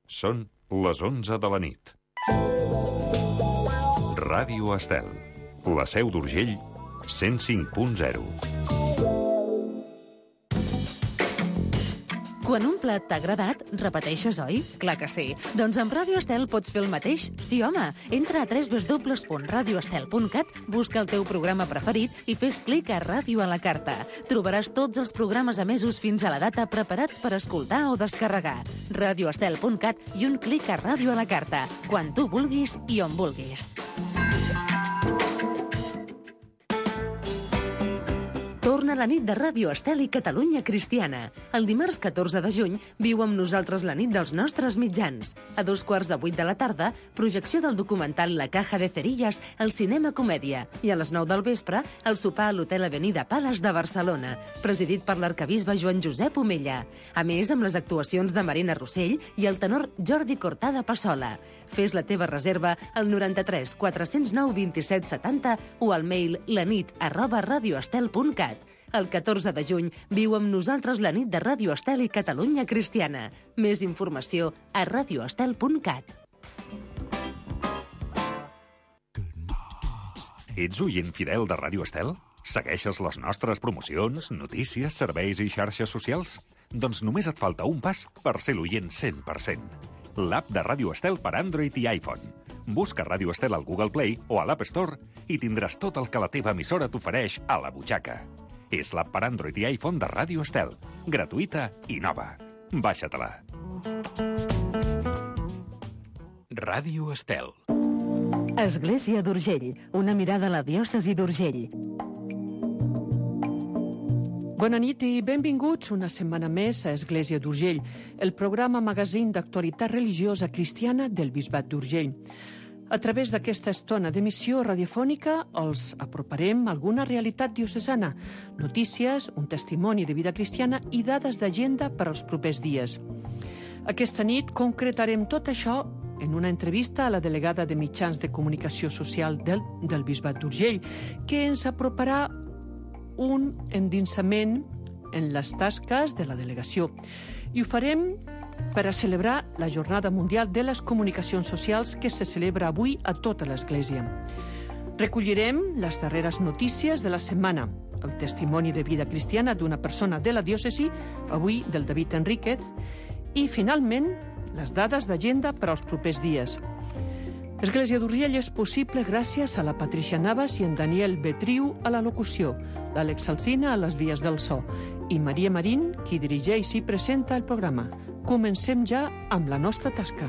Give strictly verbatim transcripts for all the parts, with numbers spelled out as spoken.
Són les onze de la nit. Ràdio Estel, la Seu d'Urgell, cent cinc punt zero. Quan un plat t'ha agradat, repeteixes, oi? Clar que sí. Doncs amb Ràdio Estel pots fer el mateix? Sí, home. Entra a w w w punt radio estel punt cat, busca el teu programa preferit i fes clic a Ràdio a la carta. Trobaràs tots els programes emesos fins a la data preparats per escoltar o descarregar. radio estel punt cat i un clic a Ràdio a la carta. Quan tu vulguis i on vulguis. Torna la nit de Ràdio Estel i Catalunya Cristiana. El dimarts catorze de juny viu amb nosaltres la nit dels nostres mitjans. A dos quarts de vuit de la tarda, projecció del documental La Caja de Cerillas al Cinema Comèdia. I a les nou del vespre, el sopar a l'Hotel Avenida Palace de Barcelona, presidit per l'arquebisbe Joan Josep Omella. A més, amb les actuacions de Marina Rossell i el tenor Jordi Cortada Passola. Fes la teva reserva al noranta-tres quatre-cents nou vint-i-set setanta o al mail lanit arroba radioestel punt cat. El catorze de juny viu amb nosaltres la nit de Ràdio Estel i Catalunya Cristiana. Més informació a radioestel punt cat. Ets oient fidel de Ràdio Estel? Segueixes les nostres promocions, notícies, serveis i xarxes socials? Doncs només et falta un pas per ser l'oient cent per cent. L'app de Ràdio Estel per Android i iPhone. Busca Ràdio Estel al Google Play o a l'App Store i tindràs tot el que la teva emissora t'ofereix a la butxaca. És l'app per Android i iPhone de Ràdio Estel. Gratuïta i nova. Baixa-te-la. Ràdio Estel. Església d'Urgell. Una mirada a la diòcesi d'Urgell. Bona nit i benvinguts una setmana més a Església d'Urgell, el programa magazín d'actualitat religiosa cristiana del Bisbat d'Urgell. A través d'aquesta estona d'emissió radiofònica els aproparem alguna realitat diocesana, notícies, un testimoni de vida cristiana i dades d'agenda per als propers dies. Aquesta nit concretarem tot això en una entrevista a la delegada de Mitjans de Comunicació Social del, del Bisbat d'Urgell, que ens aproparà un endinsament en les tasques de la delegació. I ho farem per a celebrar la Jornada Mundial de les Comunicacions Socials que se celebra avui a tota l'Església. Recollirem les darreres notícies de la setmana, el testimoni de vida cristiana d'una persona de la diòcesi, avui del David Enríquez, i, finalment, les dades d'agenda per als propers dies. Església d'Urgell és possible gràcies a la Patricia Navas i en Daniel Betriu a la locució, l'Àlex Alsina a les vies del so i Maria Marín, qui dirigeix i presenta el programa. Comencem ja amb la nostra tasca.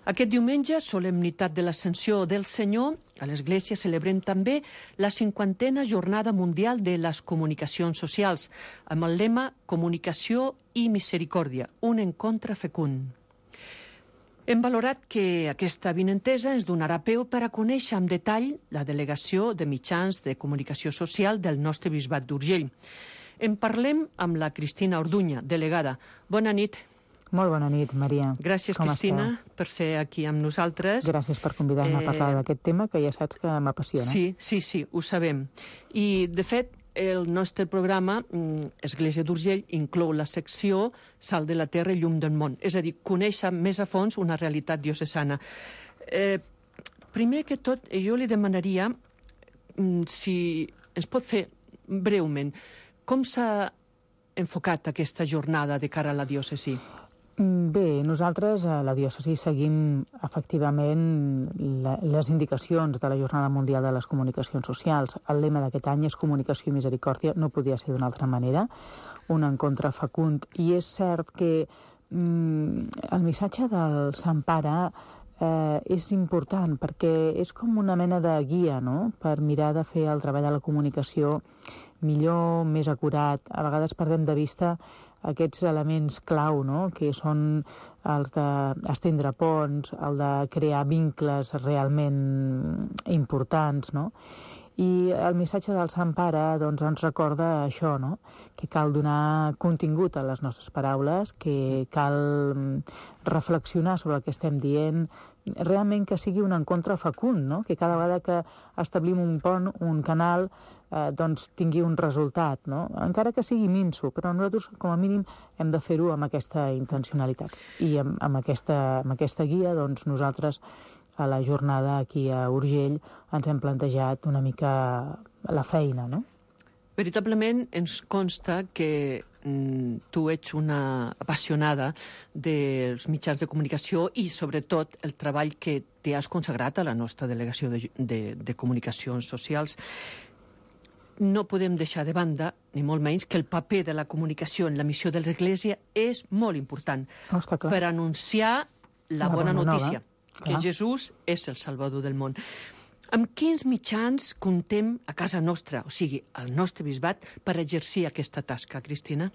Aquest diumenge, solemnitat de l'Ascensió del Senyor, a l'Església celebrem també la cinquantena Jornada Mundial de les Comunicacions Socials, amb el lema Comunicació i Misericòrdia, un encontre fecund. Hem valorat que aquesta avinentesa ens donarà peu per a conèixer amb detall la delegació de mitjans de comunicació social del nostre Bisbat d'Urgell. En parlem amb la Cristina Orduña, delegada. Bona nit. Molt bona nit, Maria. Gràcies, Com Cristina, esteu? per ser aquí amb nosaltres. Gràcies per convidar-me eh... a parlar d'aquest tema, que ja saps que m'apassiona. Sí, sí, sí, ho sabem. I, de fet, el nostre programa, Església d'Urgell, inclou la secció Sal de la Terra i Llum del Món, és a dir, conèixer més a fons una realitat diocesana. Eh, primer que tot, jo li demanaria si ens pot fer breument com s'ha enfocat aquesta jornada de cara a la diòcesi. Bé, nosaltres a la diòcesi seguim efectivament la, les indicacions de la Jornada Mundial de les Comunicacions Socials. El lema d'aquest any és Comunicació i Misericòrdia, no podia ser d'una altra manera, un encontre fecund. I és cert que mm, el missatge del Sant Pare eh, és important perquè és com una mena de guia, no?, per mirar de fer el treball de la comunicació millor, més acurat. A vegades perdem de vista aquests elements clau, no?, que són els d'estendre ponts, el de crear vincles realment importants, no? I el missatge del Sant Pare doncs, ens recorda això, no?, que cal donar contingut a les nostres paraules, que cal reflexionar sobre el que estem dient, realment que sigui un encontre fecund, no? Que cada vegada que establim un pont, un canal, eh, doncs tingui un resultat, no? Encara que sigui minso, però nosaltres com a mínim hem de fer-ho amb aquesta intencionalitat. I amb, amb, aquesta, amb aquesta guia, doncs nosaltres a la jornada aquí a Urgell ens hem plantejat una mica la feina, no? Veritablement ens consta que mm, tu ets una apassionada dels mitjans de comunicació i, sobretot, el treball que t'hi has consagrat a la nostra delegació de, de, de comunicacions socials. No podem deixar de banda, ni molt menys, que el paper de la comunicació en la missió de l'Església és molt important Oh, està clar. per anunciar la, La bona, bona notícia, nova, que clar. Jesús és el Salvador del món. Amb quins mitjans comptem a casa nostra, o sigui, al nostre bisbat, per exercir aquesta tasca, Cristina?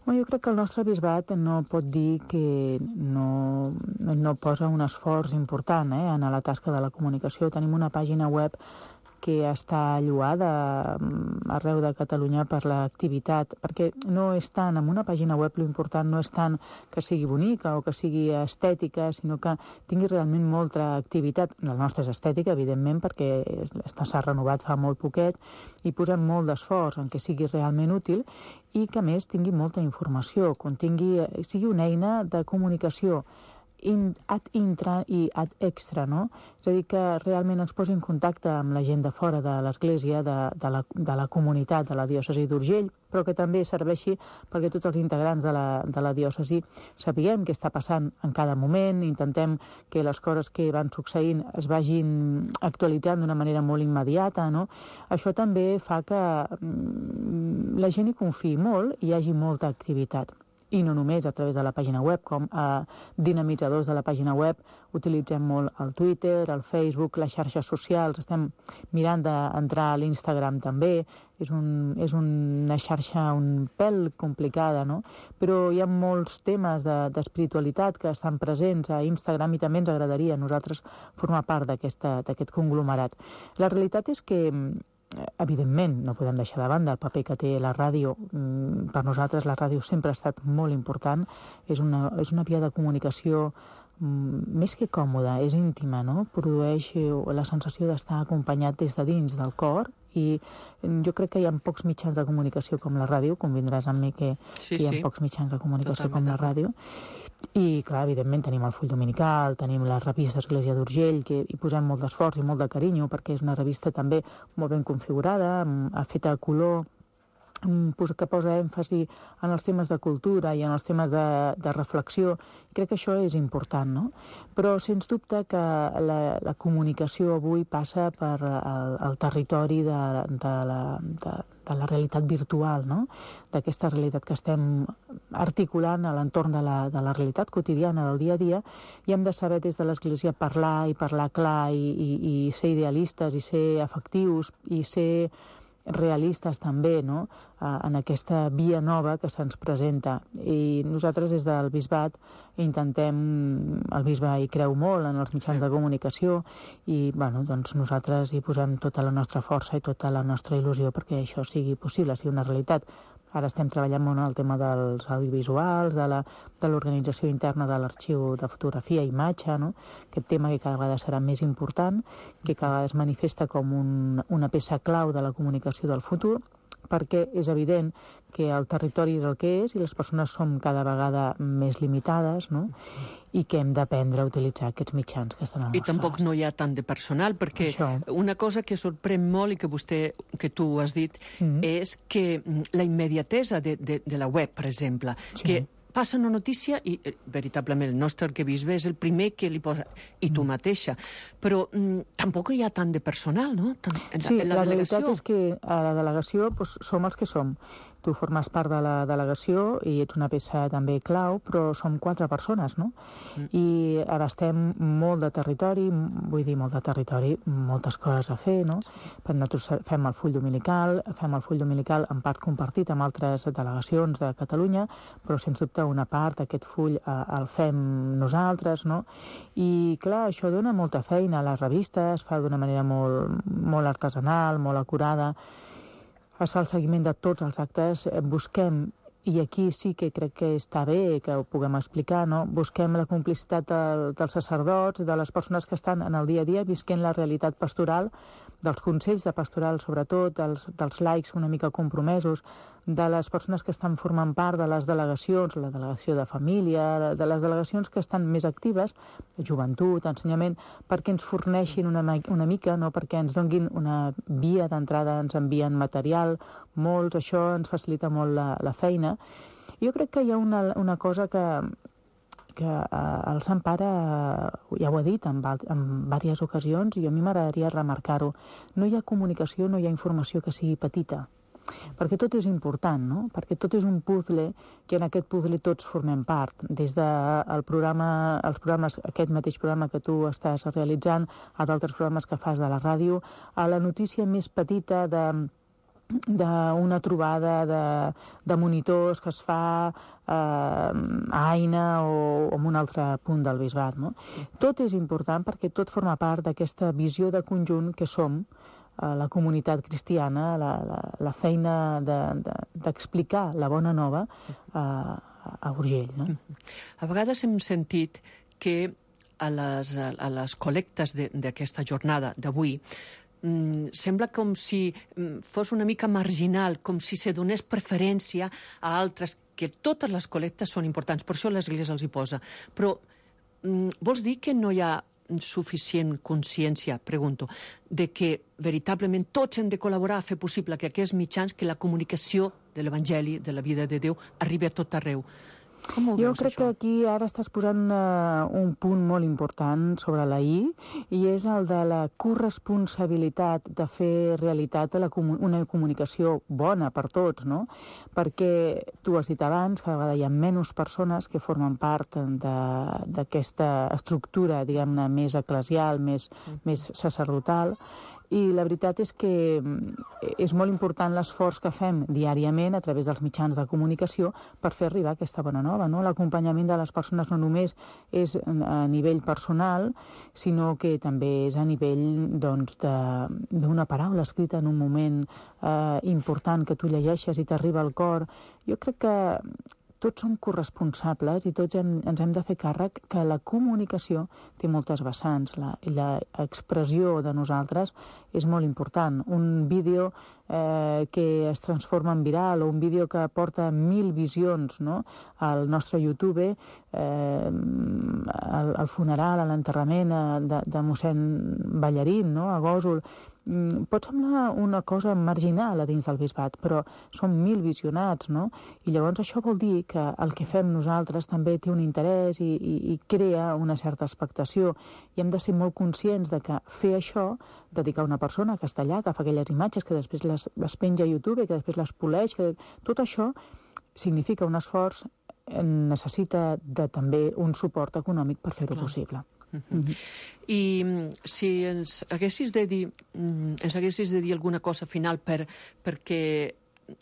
Home, jo crec que el nostre bisbat no pot dir que no, no posa un esforç important eh, en la tasca de la comunicació. Tenim una pàgina web que està lloada arreu de Catalunya per l'activitat, perquè no és tant, amb una pàgina web l'important no és tant que sigui bonica o que sigui estètica, sinó que tingui realment molta activitat. La nostra és estètica, evidentment, perquè s'ha renovat fa molt poquet i posem molt d'esforç en que sigui realment útil i que, a més, tingui molta informació, contingui, sigui una eina de comunicació In, ad intra i ad extra, no? És a dir, que realment ens posi en contacte amb la gent de fora de l'Església, de, de, la, de la comunitat de la diòcesi d'Urgell, però que també serveixi perquè tots els integrants de la, de la diòcesi sapiguem què està passant en cada moment, intentem que les coses que van succeint es vagin actualitzant d'una manera molt immediata, no? Això també fa que mm, la gent hi confiï molt i hi hagi molta activitat. I no només a través de la pàgina web, com a dinamitzadors de la pàgina web utilitzem molt el Twitter, el Facebook, les xarxes socials, estem mirant d'entrar a l'Instagram també, és, un, és una xarxa un pèl complicada, no? Però hi ha molts temes d'espiritualitat de, que estan presents a Instagram i també ens agradaria a nosaltres formar part d'aquest conglomerat. La realitat és que evidentment, no podem deixar de banda el paper que té la ràdio. Per nosaltres la ràdio sempre ha estat molt important. És una, és una via de comunicació més que còmoda, és íntima, no? Produeix la sensació d'estar acompanyat des de dins del cor i jo crec que hi ha pocs mitjans de comunicació com la ràdio, convindràs amb mi que, sí, que hi ha sí. pocs mitjans de comunicació Totalment com la ràdio. I, clar, evidentment tenim el Full Dominical, tenim la revista Església d'Urgell, que hi posem molt d'esforç i molt de carinyo, perquè és una revista també molt ben configurada, feta a color, que posa èmfasi en els temes de cultura i en els temes de, de reflexió. Crec que això és important, no? Però, sens dubte, que la, la comunicació avui passa per el, el territori de, de, la, de, de la realitat virtual, no? D'aquesta realitat que estem articulant a l'entorn de, la, de la realitat quotidiana del dia a dia, i hem de saber des de l'Església parlar i parlar clar i, i, i ser idealistes i ser efectius i ser realistes també, no? En aquesta via nova que se'ns presenta. I nosaltres des del bisbat intentem, el bisbe hi creu molt en els mitjans de comunicació i bueno, doncs nosaltres hi posem tota la nostra força i tota la nostra il·lusió perquè això sigui possible, sigui una realitat. Ara estem treballant molt en el tema dels audiovisuals, de l'organització interna de l'arxiu de fotografia i imatge, no? Aquest tema que cada vegada serà més important, que cada vegada es manifesta com un, una peça clau de la comunicació del futur, perquè és evident que el territori és el que és i les persones som cada vegada més limitades, no? I que hem d'aprendre a utilitzar aquests mitjans que estan al nostre I tampoc no hi ha tant de personal, perquè Això. una cosa que sorprèn molt i que vostè, que tu has dit, mm-hmm. és que la immediatesa de, de, de la web, per exemple, sí. que passa una notícia i, veritablement, el nostre arquebisbe és el primer que li posa, i tu mateixa. Però mm, tampoc hi ha tant de personal, no? Tant, en, sí, en la, la delegació. realitat és que a la delegació doncs, som els que som. Tu formes part de la delegació i ets una peça també clau, però som quatre persones, no? Mm. I abastem molt de territori, vull dir, molt de territori, moltes coses a fer, no? Per nosaltres fem el full dominical, fem el full dominical en part compartit amb altres delegacions de Catalunya, però sens dubte una part d'aquest full eh, el fem nosaltres, no? I clar, això dona molta feina. La revista es fa d'una manera molt, molt artesanal, molt acurada, es fa el seguiment de tots els actes, busquem i aquí sí que crec que està bé que ho puguem explicar, no? Busquem la complicitat del, dels sacerdots, de les persones que estan en el dia a dia visquent la realitat pastoral, dels consells de pastoral sobretot, dels, dels laics una mica compromesos, de les persones que estan formant part de les delegacions, la delegació de família, de, de les delegacions que estan més actives, de joventut, ensenyament, perquè ens forneixin una, una mica, no? Perquè ens donguin una via d'entrada, ens envien material, molts, això ens facilita molt la, la feina. Jo crec que hi ha una, una cosa que, que eh, el Sant Pare ja ho ha dit en, en diverses ocasions i a mi m'agradaria remarcar-ho. No hi ha comunicació, no hi ha informació que sigui petita, perquè tot és important, no? Perquè tot és un puzzle que en aquest puzzle tots formem part, des del programa, els programes, aquest mateix programa que tu estàs realitzant, a d'altres programes que fas de la ràdio, a la notícia més petita de d'una trobada de, de monitors que es fa eh, a Aina o, o en un altre punt del bisbat, no? Tot és important perquè tot forma part d'aquesta visió de conjunt que som, eh, la comunitat cristiana, la, la, la feina d'explicar de, de, la bona nova eh, a Urgell, no? A vegades hem sentit que a les, a les col·lectes d'aquesta jornada d'avui Mm, sembla com si mm, fos una mica marginal, com si se donés preferència a altres, que totes les col·lectes són importants, per això l'Església els hi posa. Però mm, vols dir que no hi ha suficient consciència, pregunto, de que veritablement tots hem de col·laborar a fer possible que aquests mitjans, que la comunicació de l'Evangeli, de la vida de Déu, arribi a tot arreu? Com ho jo veus, crec això? que aquí ara estàs posant uh, un punt molt important sobre la I, i és el de la corresponsabilitat de fer realitat la comu una comunicació bona per tots, no? Perquè tu has dit abans que a vegades hi ha menys persones que formen part d'aquesta estructura, diguem-ne, més eclesial, més, mm. més sacerdotal, i la veritat és que és molt important l'esforç que fem diàriament a través dels mitjans de comunicació per fer arribar aquesta bona nova, no? L'acompanyament de les persones no només és a nivell personal, sinó que també és a nivell, doncs, d'una paraula escrita en un moment eh, important que tu llegeixes i t'arriba al cor. Jo crec que tots som corresponsables i tots hem, ens hem de fer càrrec que la comunicació té moltes vessants. La, la expressió de nosaltres és molt important. Un vídeo eh, que es transforma en viral o un vídeo que porta mil visions, no? Al nostre YouTube, eh, al, al funeral, a l'enterrament de, de mossèn Ballarín, no? A Gósol. Pot semblar una cosa marginal a dins del bisbat, però són mil visionats, no? I llavors això vol dir que el que fem nosaltres també té un interès i, i, i crea una certa expectació. I hem de ser molt conscients de que fer això, dedicar una persona que està allà, que fa aquelles imatges, que després les, les penja a YouTube, que després les poleix, que tot això significa un esforç, necessita de, també un suport econòmic per fer-ho possible. Uh-huh. Uh-huh. I si ens haguessis de dir ens haguessis de dir alguna cosa final per, perquè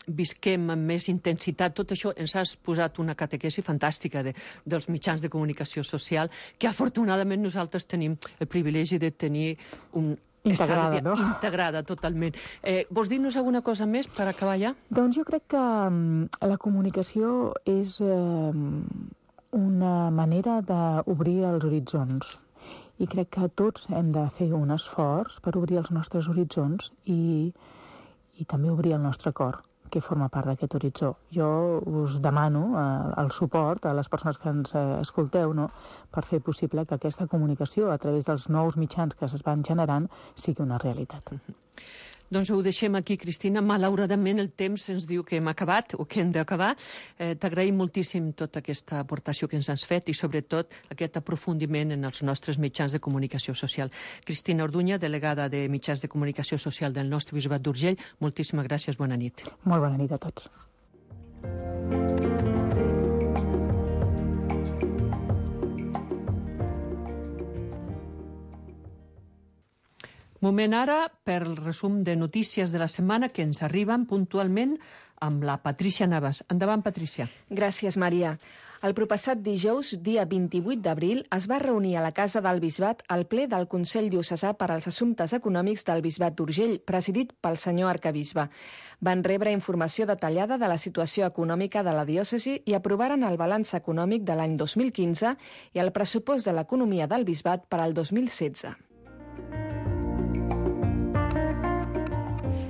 visquem amb més intensitat tot això, ens has posat una catequesi fantàstica de, dels mitjans de comunicació social, que afortunadament nosaltres tenim el privilegi de tenir un integrada, no? Integrada totalment. Eh, vols dir-nos alguna cosa més per acabar ja? Doncs jo crec que um, la comunicació és um, una manera d'obrir els horitzons. I crec que tots hem de fer un esforç per obrir els nostres horitzons i, i també obrir el nostre cor, que forma part d'aquest horitzó. Jo us demano eh, el suport a les persones que ens eh, escolteu, no?, per fer possible que aquesta comunicació a través dels nous mitjans que es van generant sigui una realitat. Mm-hmm. Doncs ho deixem aquí, Cristina. Malauradament el temps ens diu que hem acabat o que hem d'acabar. Eh, T'agraïm moltíssim tota aquesta aportació que ens has fet i sobretot aquest aprofundiment en els nostres mitjans de comunicació social. Cristina Orduña, delegada de mitjans de comunicació social del nostre bisbat d'Urgell, moltíssimes gràcies, bona nit. Molt bona nit a tots. Moment ara per el resum de notícies de la setmana que ens arriben puntualment amb la Patrícia Navas. Endavant, Patrícia. Gràcies, Maria. El proppassat dijous, dia vint-i-vuit d'abril, es va reunir a la Casa del Bisbat el ple del Consell Diocesà per als Assumptes Econòmics del Bisbat d'Urgell, presidit pel senyor arcabisbe. Van rebre informació detallada de la situació econòmica de la diòcesi i aprovaren el balanç econòmic de l'any dos mil quinze i el pressupost de l'economia del Bisbat per al dos mil setze.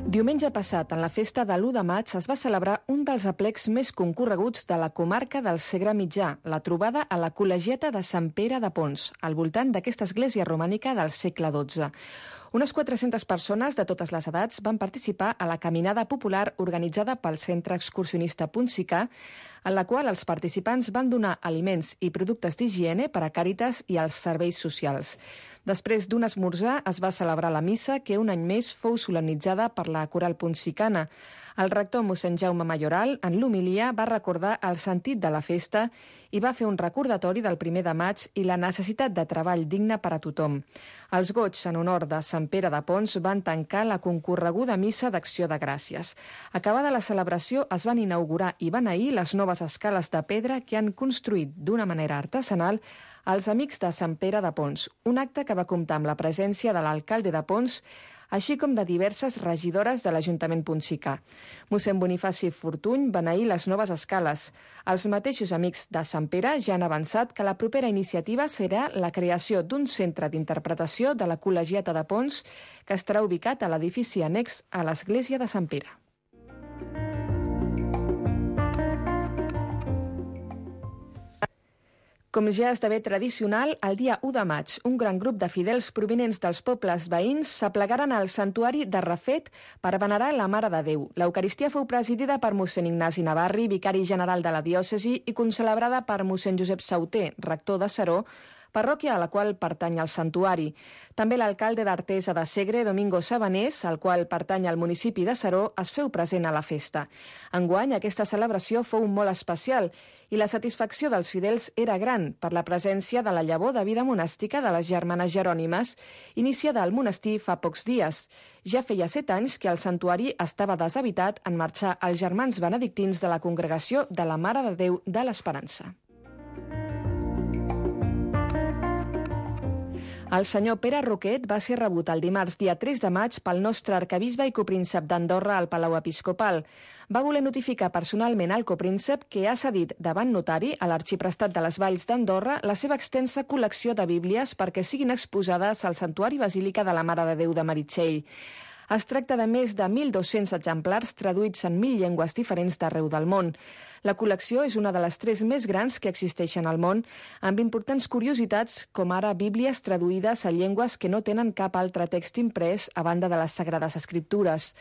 Diumenge passat, en la festa de l'u de maig, es va celebrar un dels aplecs més concorreguts de la comarca del Segre Mitjà, la trobada a la Col·legiata de Sant Pere de Pons, al voltant d'aquesta església romànica del segle dotze. Unes quatre-centes persones de totes les edats van participar a la caminada popular organitzada pel Centre Excursionista Ponsicà, en la qual els participants van donar aliments i productes d'higiene per a Càritas i als serveis socials. Després d'un esmorzar es va celebrar la missa que un any més fou solemnitzada per la coral ponsicana. El rector mossèn Jaume Mayoral, en l'homilia, va recordar el sentit de la festa i va fer un recordatori del primer de maig i la necessitat de treball digne per a tothom. Els goigs en honor de Sant Pere de Pons van tancar la concorreguda missa d'Acció de Gràcies. Acabada la celebració, es van inaugurar i beneir les noves escales de pedra que han construït d'una manera artesanal els Amics de Sant Pere de Pons, un acte que va comptar amb la presència de l'alcalde de Pons, així com de diverses regidores de l'Ajuntament ponsicà. Mossèn Bonifaci Fortuny beneí les noves escales. Els mateixos Amics de Sant Pere ja han avançat que la propera iniciativa serà la creació d'un centre d'interpretació de la Col·legiata de Pons que estarà ubicat a l'edifici annex a l'església de Sant Pere. Com ja esdevé tradicional, el dia u de maig, un gran grup de fidels provinents dels pobles veïns s'aplegaren al santuari de Refet per venerar la Mare de Déu. L'Eucaristia fou presidida per mossèn Ignasi Navarri, vicari general de la diòcesi, i concelebrada per mossèn Josep Sauter, rector de Seró, parròquia a la qual pertany el santuari. També l'alcalde d'Artesa de Segre, Domingo Sabanés, al qual pertany al municipi de Seró, es feu present a la festa. Enguany, aquesta celebració fou molt especial i la satisfacció dels fidels era gran per la presència de la llavor de vida monàstica de les germanes Jerònimes, iniciada al monestir fa pocs dies. Ja feia set anys que el santuari estava deshabitat en marxar els germans benedictins de la congregació de la Mare de Déu de l'Esperança. El senyor Pere Roquet va ser rebut el dimarts dia tres de maig pel nostre arcabisbe i copríncep d'Andorra al Palau Episcopal. Va voler notificar personalment al copríncep que ha cedit davant notari a l'Arxiprestat de les Valls d'Andorra la seva extensa col·lecció de bíblies perquè siguin exposades al Santuari Basílica de la Mare de Déu de Meritxell. Es tracta de més de mil dos-cents exemplars traduïts en mil llengües diferents d'arreu del món. La col·lecció és una de les tres més grans que existeixen al món, amb importants curiositats com ara bíblies traduïdes a llengües que no tenen cap altre text imprès a banda de les Sagrades Escriptures.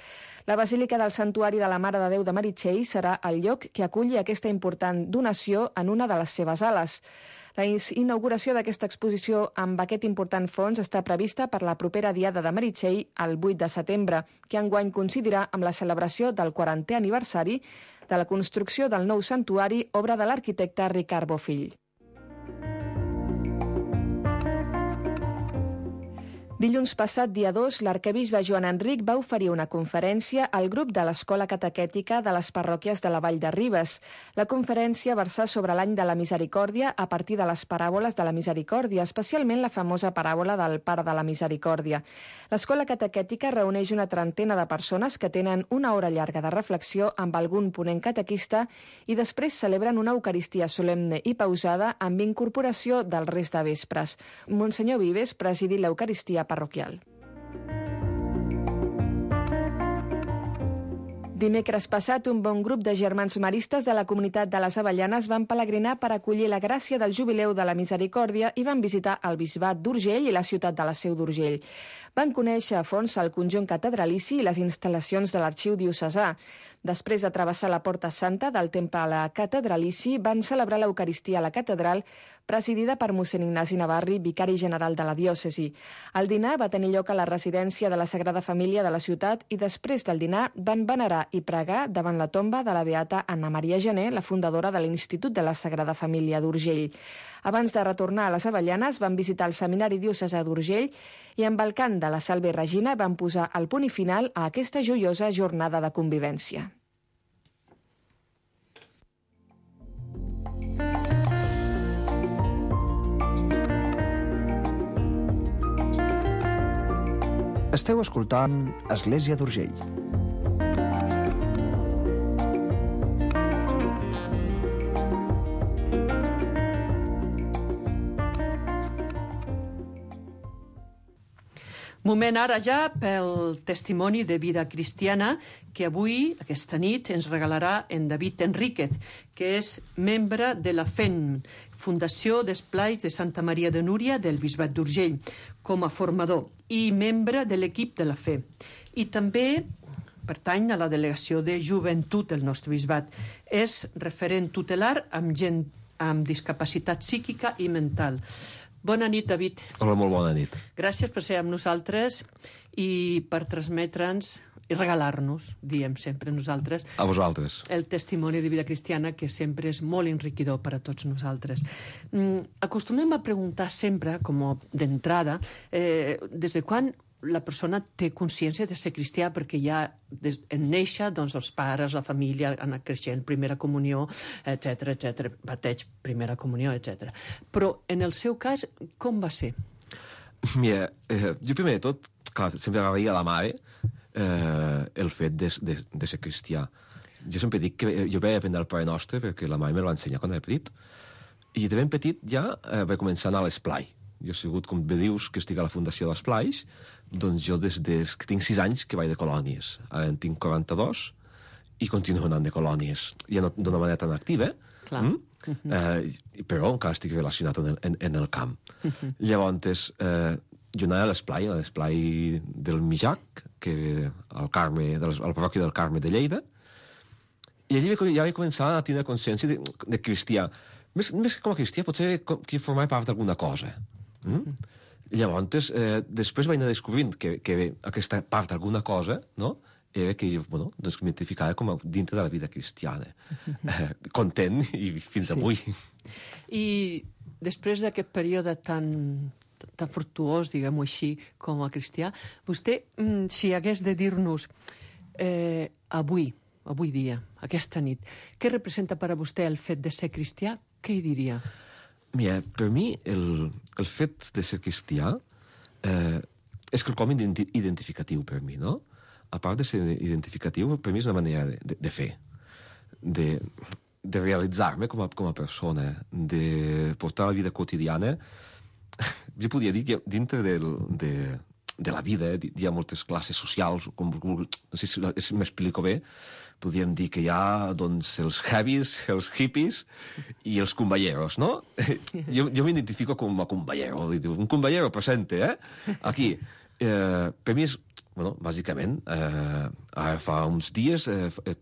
La Basílica del Santuari de la Mare de Déu de Meritxell serà el lloc que aculli aquesta important donació en una de les seves ales. La inauguració d'aquesta exposició amb aquest important fons està prevista per la propera Diada de Meritxell, el vuit de setembre, que enguany coincidirà amb la celebració del quarantè aniversari de la construcció del nou santuari, obra de l'arquitecte Ricard Bofill. Dilluns passat, dia dos, l'arcabisbe Joan Enric va oferir una conferència al grup de l'Escola Catequètica de les parròquies de la Vall de Ribes. La conferència versà sobre l'any de la misericòrdia a partir de les paràboles de la misericòrdia, especialment la famosa paràbola del Pare de la Misericòrdia. L'Escola Catequètica reuneix una trentena de persones que tenen una hora llarga de reflexió amb algun ponent catequista i després celebren una Eucaristia solemne i pausada amb incorporació del rest de vespres. Monsenyor Vives presidí l'Eucaristia parroquial. Dimecres passat, un bon grup de germans maristes de la comunitat de les Avellanes van pelegrinar per acollir la gràcia del Jubileu de la Misericòrdia i van visitar el Bisbat d'Urgell i la ciutat de la Seu d'Urgell. Van conèixer a fons el conjunt catedralici i les instal·lacions de l'Arxiu Diocesà. Després de travessar la Porta Santa del Temple Catedralici, van celebrar l'Eucaristia a la catedral, presidida per mossèn Ignasi Navarri, vicari general de la diòcesi. El dinar va tenir lloc a la residència de la Sagrada Família de la ciutat i després del dinar van venerar i pregar davant la tomba de la beata Anna Maria Gené, la fundadora de l'Institut de la Sagrada Família d'Urgell. Abans de retornar a les Avellanes, van visitar el Seminari Diocesà d'Urgell i amb el cant de la Salve Regina van posar el punt i final a aquesta joiosa jornada de convivència. Esteu escoltant Església d'Urgell. Moment ara ja pel testimoni de vida cristiana que avui, aquesta nit, ens regalarà en David Enríquez, que és membre de la F E N, Fundació d'Esplais de Santa Maria de Núria del Bisbat d'Urgell, com a formador i membre de l'equip de la Fe. I també pertany a la delegació de joventut del nostre bisbat. És referent tutelar amb gent amb discapacitat psíquica i mental. Bona nit, David. Hola, molt bona nit. Gràcies per ser amb nosaltres i per transmetre'ns i regalar-nos, diem sempre nosaltres, a vosaltres, el testimoni de vida cristiana, que sempre és molt enriquidor per a tots nosaltres. Mm, acostumem a preguntar sempre, com d'entrada, eh, des de quan la persona té consciència de ser cristià, perquè ja des, en néixer, doncs els pares, la família, han anat creixent, primera comunió, etcètera, etcètera, bateig, primera comunió, etcètera. Però en el seu cas, com va ser? Mira, eh, jo primer de tot, clar, sempre agraïa a la mare eh, el fet de, de, de ser cristià. Jo sempre dic que jo vaig aprendre el Pare Nostre perquè la mare me va ensenyar quan era petit, i de ben petit ja eh, vaig començar a anar a l'esplai. Jo he sigut, com bé dius, que estic a la Fundació d'Esplais, doncs jo des, des que tinc sis anys que vaig de colònies. Ara en tinc quaranta-dos i continuo anant de colònies. Ja no d'una manera tan activa, Clar. Mm? Uh-huh. eh, però encara estic relacionat en el, en, en el camp. Uh-huh. Llavors, eh, jo anava a l'esplai, a l'esplai del Mijac, que al Carme, de la parròquia del Carme de Lleida, i allí ja vaig començar a tenir consciència de, de cristià. Més, més que com a cristià, potser que formava part d'alguna cosa. Mm? Mm. Llavors, eh, després vaig anar descobrint que, que aquesta part d'alguna cosa, no?, era que jo, bueno, doncs m'identificava com a dintre de la vida cristiana. Mm-hmm. Eh, content i fins sí. avui. I després d'aquest període tan, tan fructuós, diguem-ho així, com a cristià, vostè, si hagués de dir-nos eh, avui, avui dia, aquesta nit, què representa per a vostè el fet de ser cristià, què hi diria? Mira, per mi el, el fet de ser cristià eh, és quelcom identi identificatiu per mi, no? A part de ser identificatiu, per mi és una manera de, de, de fer, de, de realitzar-me com, a, com a persona, de portar la vida quotidiana. Jo podria dir que dintre del, de, de la vida hi ha moltes classes socials, com, no sé si m'explico bé, podríem dir que hi ha doncs, els heavies, els hippies i els cumballeros, no? Jo, jo m'identifico com a cumballero. Un cumballero presente, eh? Aquí. Eh, per mi és, bueno, bàsicament, eh, ara fa uns dies eh, eh,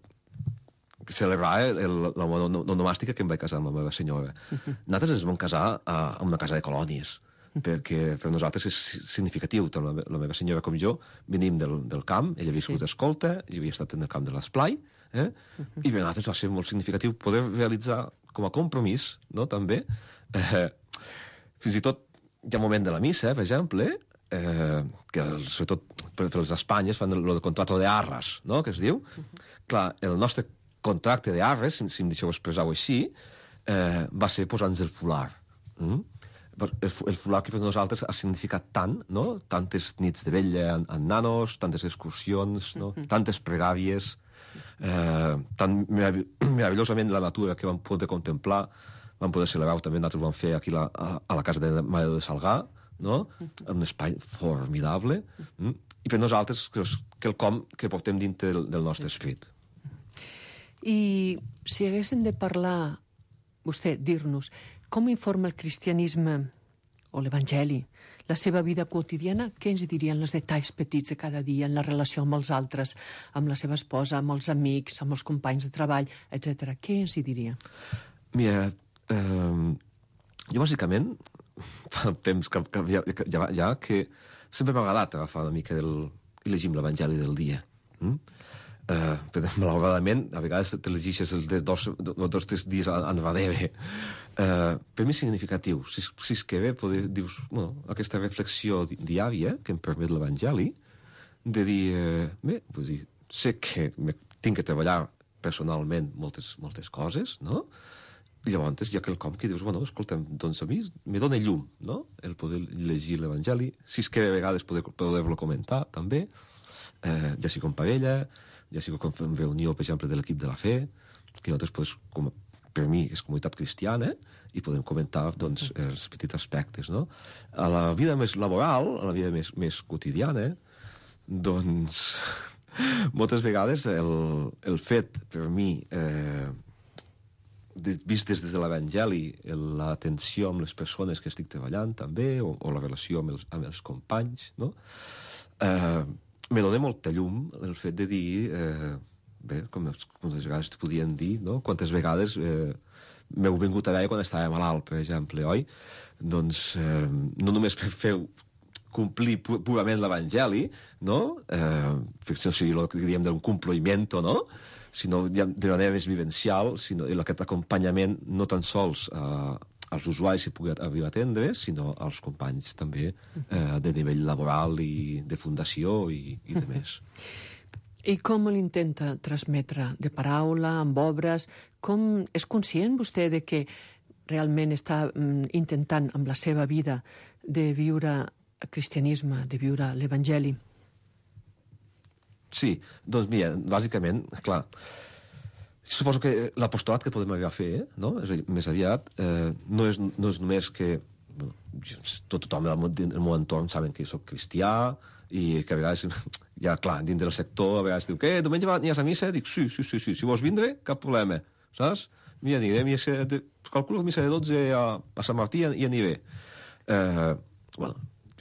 celebrava el, la onomàstica que em vaig casar amb la meva senyora. Nosaltres ens vam casar a, a una casa de colònies, perquè per nosaltres és significatiu. Tant la, la meva senyora com jo venim del, del camp, ella havia sigut sí. escolta, jo havia estat en el camp de l'esplai, eh? Uh-huh. I per nosaltres va ser molt significatiu poder realitzar com a compromís, no?, també, eh, fins i tot hi ha un moment de la missa, per exemple, eh, que sobretot per, per les Espanyes fan el, el contrato de arras, no?, que es diu. Uh-huh. Clar, el nostre contracte de arres, si, si em deixeu expressar-ho així, eh, va ser posar-nos el fular. Mm? El, el fular que per nosaltres ha significat tant, no? Tantes nits de vella en, en nanos, tantes excursions, no? Uh-huh. Tantes pregàries, eh, tan meravellosament la natura que vam poder contemplar, vam poder celebrar també, nosaltres vam fer aquí la, a, a la casa de Mare de Salgar, no? Uh-huh. Un espai formidable, mm? I per nosaltres que és quelcom que portem dintre del, del nostre esperit. I si haguéssim de parlar, vostè, dir-nos, com informa el cristianisme o l'Evangeli la seva vida quotidiana? Què ens dirien els detalls petits de cada dia en la relació amb els altres, amb la seva esposa, amb els amics, amb els companys de treball, etcètera? Què ens hi diria? Mira, eh, jo bàsicament, fa temps que, que ja, ja, ja que sempre m'ha agradat agafar una mica del, i llegim l'Evangeli del dia. Mm? Uh, però malauradament a vegades te llegeixes els de dos, dos tres dies en darrere. Uh, per mi és significatiu. Si, si és que bé, poder, dius, bueno, aquesta reflexió di diària que em permet l'Evangeli, de dir, uh, bé, vull dir, sé que tinc que treballar personalment moltes, moltes coses, no? llavors hi ha quelcom que dius, bueno, escolta'm, doncs a mi me dona llum, no?, el poder llegir l'Evangeli, si és que a vegades poder, poder-lo comentar, també, eh, ja sigui com parella, ja sigui com en reunió, per exemple, de l'equip de la fe, que nosaltres, pues, com, per mi, és comunitat cristiana, i podem comentar, doncs, els petits aspectes, no? A la vida més laboral, a la vida més, més quotidiana, doncs, moltes vegades el, el fet, per mi, eh, vist des de l'Evangeli, l'atenció amb les persones que estic treballant, també, o, o la relació amb els, amb els companys, no? Eh, me dona molta llum el fet de dir, eh, bé, com moltes vegades te podien dir, no? Quantes vegades eh, m'heu vingut a veure quan estava malalt, per exemple, oi? Doncs eh, no només per fer complir pu purament l'Evangeli, no? Eh, perquè no seria el que diríem d'un compliment, no? Sinó de manera més vivencial, sinó aquest acompanyament no tan sols eh, als usuaris que pugui arribar a atendre, sinó als companys també eh, de nivell laboral i de fundació i, i de més. I com l'intenta transmetre? De paraula, amb obres? Com és conscient vostè de que realment està mm, intentant amb la seva vida de viure el cristianisme, de viure l'Evangeli? Sí, doncs mira, bàsicament, clar, suposo que l'apostolat que podem arribar a fer, eh, no? És a dir, més aviat, eh, no, és, no és només que bueno, tot tothom en el meu entorn saben que jo soc cristià i que a vegades, ja clar, dins del sector, a vegades diu, què, diumenge anies a missa? Dic, sí, sí, sí, sí, si vols vindre, cap problema, saps? Mira, aniré, missa de, calculo que missa de dotze a, a Sant Martí i aniré. Eh, bueno,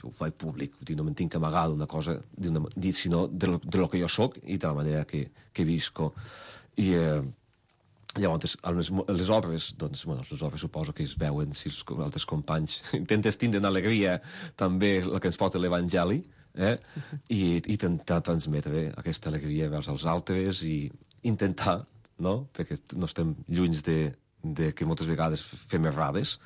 ho faig públic, no me'n tinc que amagar d'una cosa, dit, sinó de lo, de lo que jo soc i de la manera que, que visco. I eh, llavors, les, les obres, doncs, bueno, les obres suposo que es veuen si els altres companys intentes tindre una alegria també la que ens porta l'Evangeli, eh? I, i intentar transmetre aquesta alegria vers els altres i intentar, no?, perquè no estem lluny de, de que moltes vegades fem errades,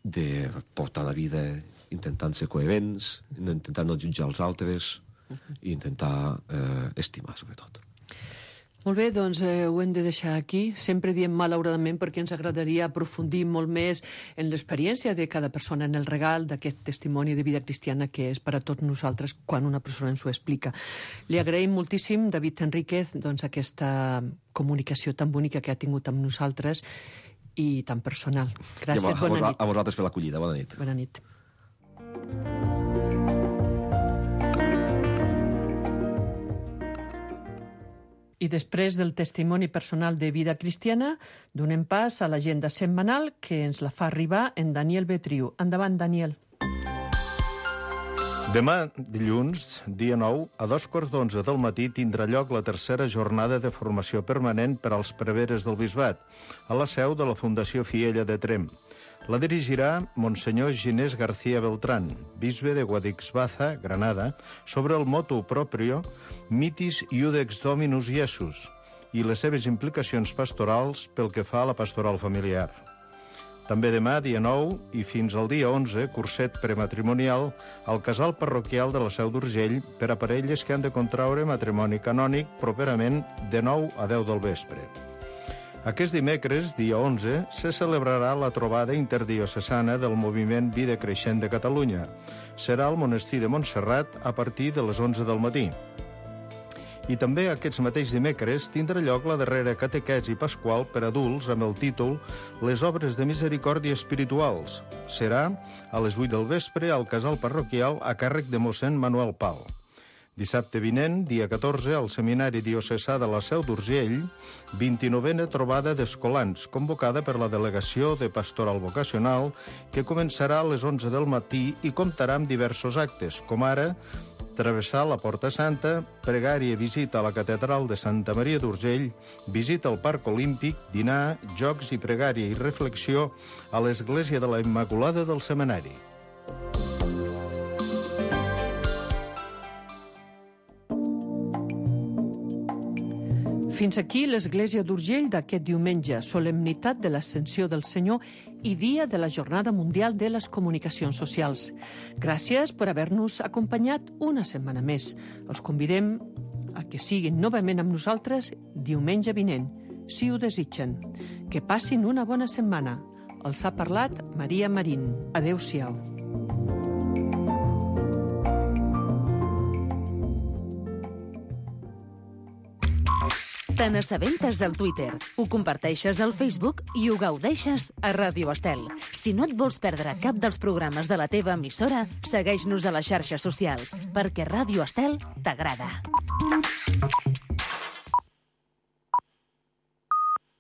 de portar la vida intentant ser coherents, intentant no jutjar els altres i intentar eh, estimar, sobretot. Molt bé, doncs eh, ho hem de deixar aquí. Sempre diem malauradament perquè ens agradaria aprofundir molt més en l'experiència de cada persona, en el regal d'aquest testimoni de vida cristiana que és per a tots nosaltres quan una persona ens ho explica. Li agraïm moltíssim, David Enríquez, doncs, aquesta comunicació tan bonica que ha tingut amb nosaltres i tan personal. Gràcies, a, bona nit. A vosaltres per l'acollida, bona nit. Bona nit. I després del testimoni personal de vida cristiana, donem pas a l'agenda setmanal que ens la fa arribar en Daniel Betriu. Endavant, Daniel. Demà, dilluns, dia nou, a dos quarts d'onze del matí tindrà lloc la tercera jornada de formació permanent per als preveres del Bisbat, a la seu de la Fundació Fiella de Tremp. La dirigirà Monsenyor Ginés García Beltrán, bisbe de Guadixbaza, Granada, sobre el motu proprio Mitis Iudex Dominus Iesus i les seves implicacions pastorals pel que fa a la pastoral familiar. També demà, dia nou, i fins al dia onze, curset prematrimonial al casal parroquial de la Seu d'Urgell per a parelles que han de contraure matrimoni canònic properament de nou a deu del vespre. Aquest dimecres, dia onze, se celebrarà la trobada interdiocesana del moviment Vida Creixent de Catalunya. Serà al monestir de Montserrat a partir de les onze del matí. I també aquests mateix dimecres tindrà lloc la darrera catequesi pasqual per adults amb el títol Les obres de misericòrdia espirituals. Serà a les vuit del vespre al casal parroquial a càrrec de mossèn Manuel Pal. Dissabte vinent, dia catorze, al Seminari Diocesà de la Seu d'Urgell, vint-i-novena trobada d'escolans, convocada per la Delegació de Pastoral Vocacional, que començarà a les onze del matí i comptarà amb diversos actes, com ara travessar la Porta Santa, pregària i visita a la Catedral de Santa Maria d'Urgell, visita al Parc Olímpic, dinar, jocs i pregària i reflexió a l'Església de la Immaculada del Seminari. Fins aquí l'Església d'Urgell d'aquest diumenge, solemnitat de l'Ascensió del Senyor i dia de la Jornada Mundial de les Comunicacions Socials. Gràcies per haver-nos acompanyat una setmana més. Els convidem a que siguin novament amb nosaltres diumenge vinent, si ho desitgen. Que passin una bona setmana. Els ha parlat Maria Marín. Adéu-siau. Te n'assabentes al Twitter, ho comparteixes al Facebook i ho gaudeixes a Ràdio Estel. Si no et vols perdre cap dels programes de la teva emissora, segueix-nos a les xarxes socials, perquè Ràdio Estel t'agrada.